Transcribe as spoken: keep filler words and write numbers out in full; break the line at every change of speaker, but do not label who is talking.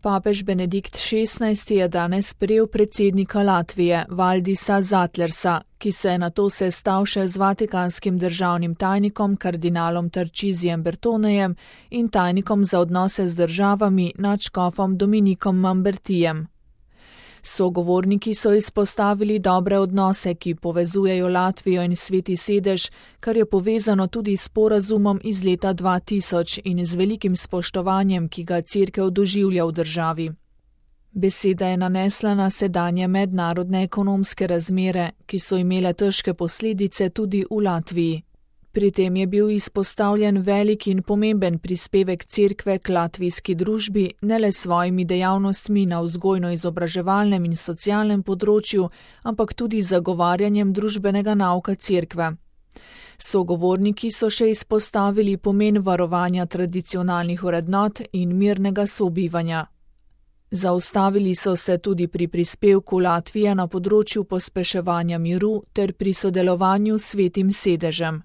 Papež Benedikt šestnajsti je danes sprejel predsednika Latvije, Valdisa Zatlersa, ki se je nato sestal še z vatikanskim državnim tajnikom kardinalom Tarcisijem Bertonejem in tajnikom za odnose z državami nadškofom Dominikom Mambertijem. Sogovorniki so izpostavili dobre odnose, ki povezujejo Latvijo in Sveti sedež, kar je povezano tudi s sporazumom iz leta dva tisoč in z velikim spoštovanjem, ki ga Cerkev doživlja v državi. Beseda je nanesla na sedanje mednarodne ekonomske razmere, ki so imele težke posledice tudi v Latviji. Pri tem je bil izpostavljen velik in pomemben prispevek Cerkve k latvijski družbi, ne le s svojimi dejavnostmi na vzgojno-izobraževalnem in socialnem področju, ampak tudi zagovarjanjem družbenega nauka Cerkve. Sogovorniki so še izpostavili pomen varovanja tradicionalnih vrednot in mirnega sobivanja. Zaustavili so se tudi pri prispevku Latvije na področju pospeševanja miru ter pri sodelovanju s Svetim sedežem.